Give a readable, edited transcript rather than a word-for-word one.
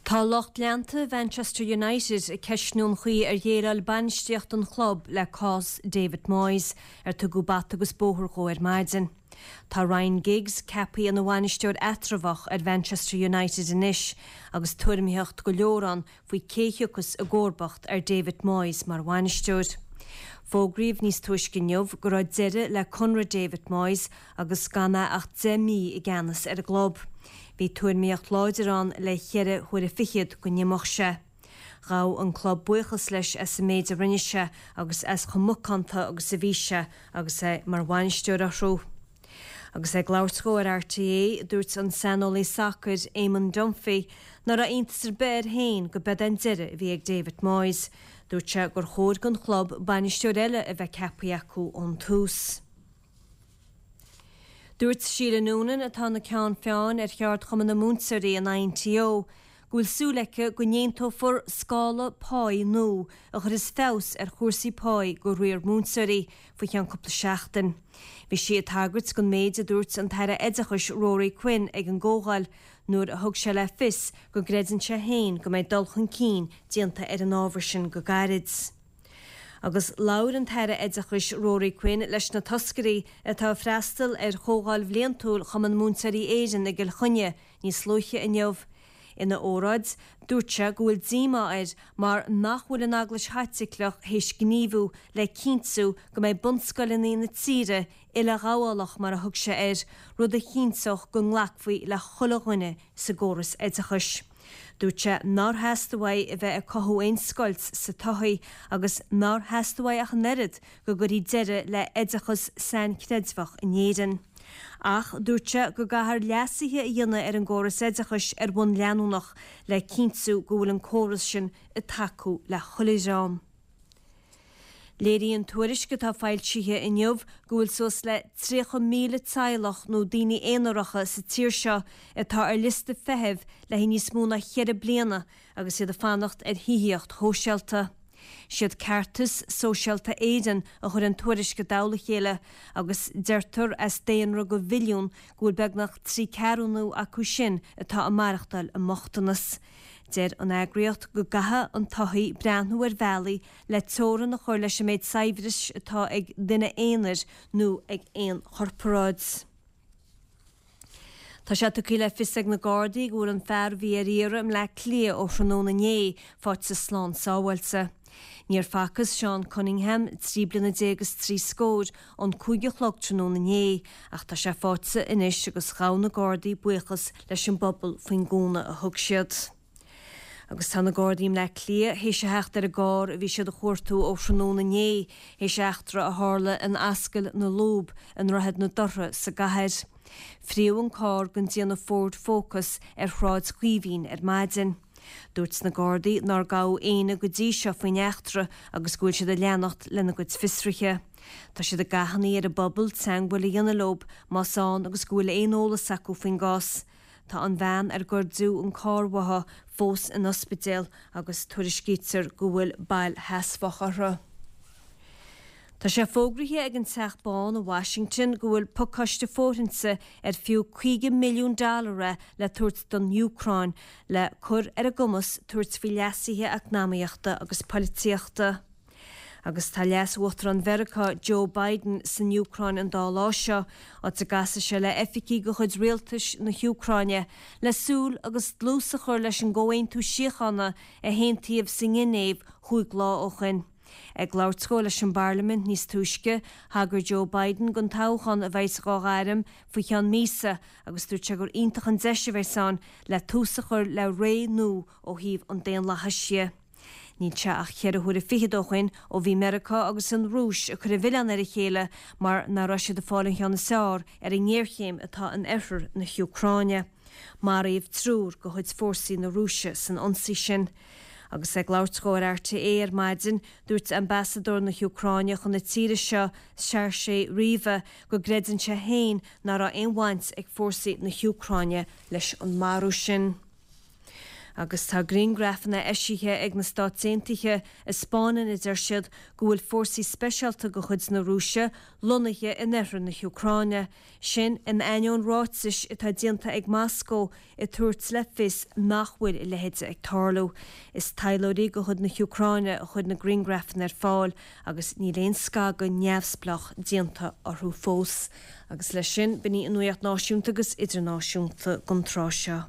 Tá lucht leanta Mhanchester United ag ceistniú an chaoi ar dhéileáil bainistíocht an chlub le cás David Moyes, ar tugadh bata agus bóthar dhó ar maidin. Tá Ryan Giggs ceaptha ina bhainisteoir eatramhach ar Mhanchester United anois agus tuairimíocht go leor ann faoi cé thiocfas i gcomharbacht ar David Moyes mar bhainisteoir. Fógraíodh níos túisce inniu go raibh deireadh le conradh David Moyes agus gan é ach 10 mí i gceannas ar an gclub. Bhí tuairimíocht láidir ann le cheithre huaire fichead go n-imeodh sé. Ghabh an club buíochas leis as an méid a rinne sé agus as chomh macánta agus a bhí sé agus é mar bhainisteoir orthu. Agus é ag labhairt dhó ar RTÉ, dúirt an saineolaí sacair Eamon Dunphy ná raibh iontas ar bith air féin go b'ead é an deireadh a bhí ag David Moyes. Dúirt sé gur chóir don chlub bainisteoir eile a bheith ceaptha acu ón tús. Dúirt Sheila Noonan, atá ina ceann feadhain ar cheardchumann na múinteoirí, an INTO, go bhfuil súil aici go n-aontófar scála páí nua a chuirfeas feabhas ar chúrsaí páí go riar múinteoirí faoi cheann cúpla seachtain. Bhí sí ag tagairt don méid a dúirt an tAire Oideachais Ruairí Quinn ag an gcomhdháil nuair a thug sé le fios go gcreideann sé féin go mbeidh dul chun cinn déanta ar an ábhar sin go gairid. Agus labhair an tAire Oideachais Ruairí Quinn leis na toscairí atá ag freastal ar Chomhdháil Bhliantúil Chumann Múinteoirí Éireann i gCill Chainnigh níos luaithe inniu. Ina óráid, dúirt sé go bhfuil díomá air mar nach bhfuil an Eaglais Chaitliceach théis gníomhú le cinntiú go mbeidh bunscoileanna na tíre uileghabhálach mar a thug sé air, rud a chinnteodh go nglacfaí le chuile dhuine sa gcóras oideachais. Dúirt sé nár theastaigh uaidh a bheith ag cothú aon scoilt sa tsochaí agus nár theastaigh uaidh ach an oiread go gcuirfí deireadh le hoideachas sainchreidmheach in Éirinn. Ach dúirt sé go gcaithfear leasuithe a dhéanamh ar an gcóras oideachais ar bhonn leanúnach le cinntiú go bhfuil an córas sin ag tacú le chuile dhream. Léiríonn tuairisc atá foilsithe inniu go bhfuil suas le 30,000 teaghlach nó daoine aonaracha sa tír seo atá ar liosta feithimh le haghaidh níos mó ná cheithre bliana agus iad ag fanacht ar thithíocht shóisialta. Siad Ceartas Sóisialta Éireann a chuir an tuairisc i dtoll a chéile agus deirtear as daonra de mhilliún go bhfuil beagnach trí ceathrúna acu sin atá ag maireachtáil i mbochtanas. Deir an eagraíocht go gcaithfidh an tsochaí breathnú ar bhealaí le teorainn a chur leis an méid saibhris atá ag duine aonair nó ag aon chorparáid. Tá sé tugtha le fios ag na Gardaí go bhfuil an fear a bhí ar iarraidh i mBleá Cliath ó thráthnóna inné faighte slán sábháilte. Níor facthas Seán Cunningham, 13 bliana is trí scór, ón 5 a chlog tráthnóna inné ach tá sé faighte anois agus ghabh na Gardaí buíochas leis an bpobal faoin gcúnamh a thug siad. Agus tá na Gardaí i mBleá Cliath théis a theacht ar an gcarr a bhí siad a chuartú ó thráthnóna inné théis eachtra a tharla in Ascaill na Lúb i nDroichead na Dothra sa gcathair. Fríodh an carr den déanamh Ford Focus ar Shráid Chaoimhín ar maidin. Dúirt na Gardaí nár gabhadh éinne go dtí seo faoin eachtra agus go bhfuil siad ag leanacht lena gcuid fiosruithe. Tá siad ag achainí ar an bpobal teagmháil a dhéanamh leo más ann agus go bhfuil aon eolas acu faoin gcás. Tá an bhean ar goideadh an carr uaithi fós in ospidéal agus tuairiscítear go bhfuil bail sheasmhach uirthi. Tá sé fógraithe ag an Teach Bán i Washington go bhfuil pacáiste fóirithinte ar fiú 50 milliún dollar é le tabhairt don Úcráin le cur ar a gcumas tabhairt faoi leasuithe eacnamaíochta agus poilitíochta. Agus tá Leas-Uachtarán Mheiriceá Joe Biden san Úcráin an dá lá seo, áit a gcasfaidh sé le oifigigh de chuid rialtais na hÚcráine le súil agus dlús a chur leis an gcomhaontú síochána a haontaíodh sa nGinéiv chúig lá ó shin. Ag labhairt dhó leis an bParlaimint níos túisce, thagair Joe Biden don toghchán a bheas dhá ghairm faoi cheann míosa agus dúirt sé gur iontach an deis a bheas ann le tús a chur le ré nua ó thaobh an daonlathais dhe. Níl sé ach cheithre huaire fichead ó shoin ó bhí Meiriceá agus an Rúis ag cur an mhilleáin ar a chéile mar nach raibh siad ag fáil an cheann is fearr ar an ngéarchéim atá in oirthear na hÚcráine. Maraíodh triúr de chuid fórsaí na Rúise san ionsaí sin. Agus é ag labhairt dhó ar RTÉ ar maidin, dúirt ambasadóir na hÚcráine chun na tíre seo, Sergei Ryba, go gcreideann sé féin nach raibh aon bhaint ag fórsaí na hÚcráine leis an marú sin. Agus tá griangrafanna eisithe ag na Stáit Aontaithe a 'spáineann, a deir siad, go bhfuil fórsaí speisialta de chuid na Rúise lonnaithe in oirthear na hÚcráine. Sin in ainneoin ráitis atá déanta ag Moscó ag tabhairt le fios nach bhfuil a leithéid ag tarlú. Is taidhleoirí de chuid na hÚcráine a chuir na griangrafanna ar fáil agus níl aon scagadh neamhspleách déanta orthu fós. Agus leis sin, b'in í an nuacht náisiúnta agus idirnáisiúnta don tráth seo.